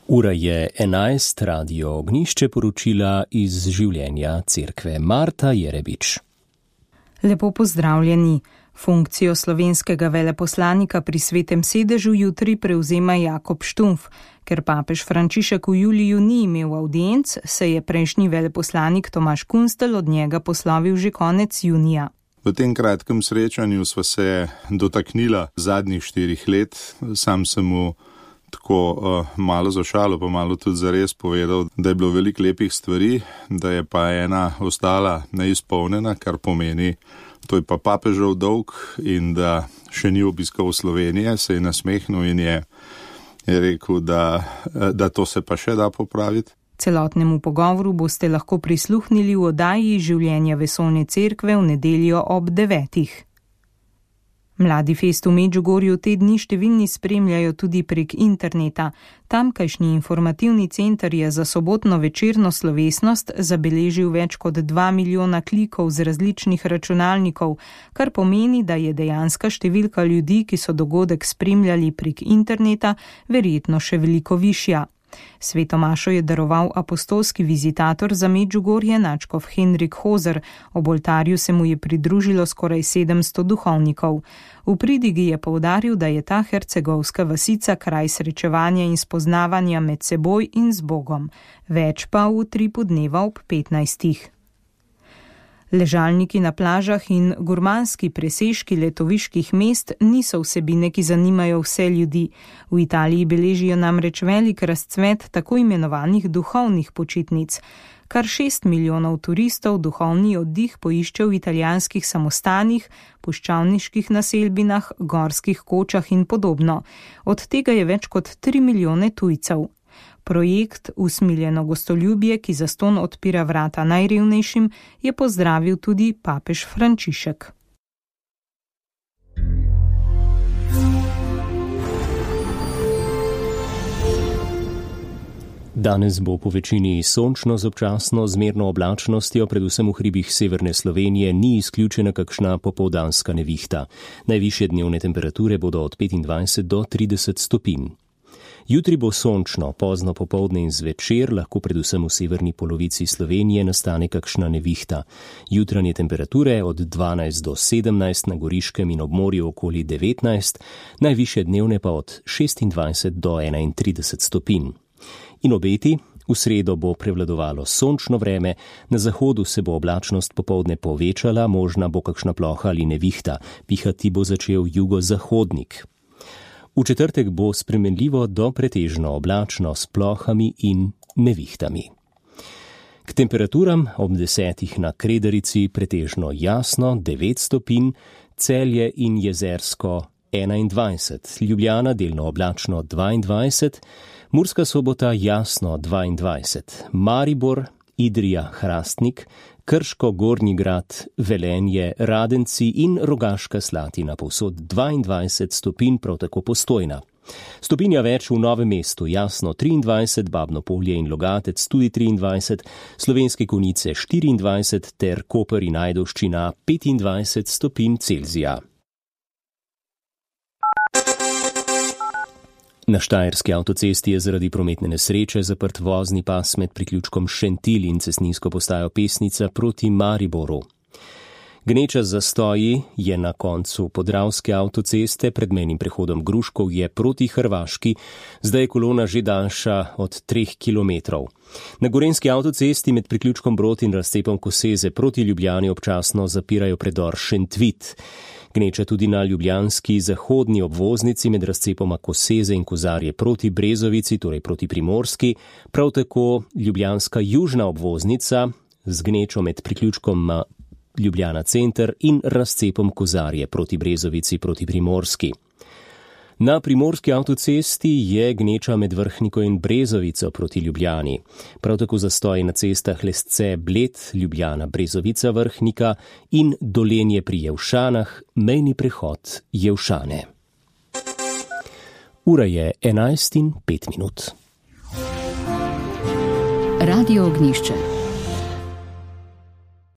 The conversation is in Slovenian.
Ura je 11, Radio Ognjišče, poročila iz življenja cerkve. Marta Jerebič. Lepo pozdravljeni. Funkcijo slovenskega veleposlanika pri Svetem sedežu jutri prevzema Jakob Štumpf. Ker papež Frančišek v juliju ni imel audienc, se je prejšnji veleposlanik Tomaž Kunstelj od njega poslovil že konec junija. V tem kratkem srečanju sva se dotaknila zadnjih 4 let. Sam sem mu tako malo za šalo, pa malo tudi zares povedal, da je bilo veliko lepih stvari, da je pa ena ostala neizpolnjena, kar pomeni, to je pa papežev dolg in da še ni obiskal Slovenije, se je nasmehnil in je rekel, da to se pa še da popraviti. Celotnemu pogovoru boste lahko prisluhnili v oddaji Življenja vesoljne cerkve v nedeljo ob 9. Mladi fest v Medžugorju te dni številni spremljajo tudi prek interneta. Tamkajšnji informativni center je za sobotno večerno slovesnost zabeležil več kot 2 milijona klikov z različnih računalnikov, kar pomeni, da je dejanska številka ljudi, ki so dogodek spremljali prek interneta, verjetno še veliko višja. Sveto mašo je daroval apostolski vizitator za Medžugorje nadškof Henrik Hozer, ob oltarju se mu je pridružilo skoraj 700 duhovnikov. V pridigi je poudaril, da je ta hercegovska vasica kraj srečevanja in spoznavanja med seboj in z Bogom. Več pa v utripu dneva ob 15. Ležalniki na plažah in gurmanski presežki letoviških mest niso vsebine, ki zanimajo vse ljudi. V Italiji beležijo namreč velik razcvet tako imenovanih duhovnih počitnic. Kar 6 milijonov turistov duhovni oddih poišče v italijanskih samostanih, puščavniških naselbinah, gorskih kočah in podobno. Od tega je več kot 3 milijone tujcev. Projekt Usmiljeno gostoljubje, ki zastonj odpira vrata najrevnejšim, je pozdravil tudi papež Frančišek. Danes bo po večini sončno z občasno zmerno oblačnostjo, predvsem v hribih severne Slovenije ni izključena kakšna popoldanska nevihta. Najvišje dnevne temperature bodo od 25 do 30 stopinj. Jutri bo sončno, pozno popoldne in zvečer, lahko predvsem v severni polovici Slovenije nastane kakšna nevihta. Jutranje temperature od 12 do 17, na Goriškem in ob morju okoli 19, najvišje dnevne pa od 26 do 31 stopinj. In obeti, v sredo bo prevladovalo sončno vreme, na zahodu se bo oblačnost popoldne povečala, možna bo kakšna ploha ali nevihta, pihati bo začel jugozahodnik. V četrtek bo spremenljivo do pretežno oblačno s plohami in nevihtami. K temperaturam ob 10 na Kredarici pretežno jasno 9 stopinj, Celje in Jezersko 21, Ljubljana delno oblačno 22, Murska Sobota jasno 22, Maribor, Idrija, Hrastnik, Krško, Gornji Grad, Velenje, Radenci in Rogaška Slatina povsod 22 stopinj, prav tako Postojna. Stopinja več v Novem mestu, jasno 23, Babno Polje in Logatec tudi 23, Slovenske Konjice 24 ter Koper in Ajdovščina 25 stopinj Celzija. Na Štajerski avtocesti je zaradi prometne nesreče zaprt vozni pas med priključkom Šentilj in cestninsko postajo Pesnica proti Mariboru. Gneča zastoji je na koncu Podravske avtoceste pred mejnim prehodom Gruškovje proti Hrvaški, zdaj je kolona že daljša od 3 kilometrov. Na Gorenjski avtocesti med priključkom Brod in razcepom Koseze proti Ljubljani občasno zapirajo predor Šentvit. Gneča tudi na ljubljanski zahodni obvoznici med razcepoma Koseze in Kozarje proti Brezovici, torej proti Primorski, prav tako ljubljanska južna obvoznica z gnečo med priključkom Ljubljana center in razcepom Kozarje proti Brezovici proti Primorski. Na primorski avtocesti je gneča med Vrhniko in Brezovico proti Ljubljani. Prav tako zastoji na cestah Lesce, Bled, Ljubljana, Brezovica, Vrhnika in Dolenje pri Jevšanah, mejni prehod Jevšane. Ura je 11:05. Radio Ognjišče.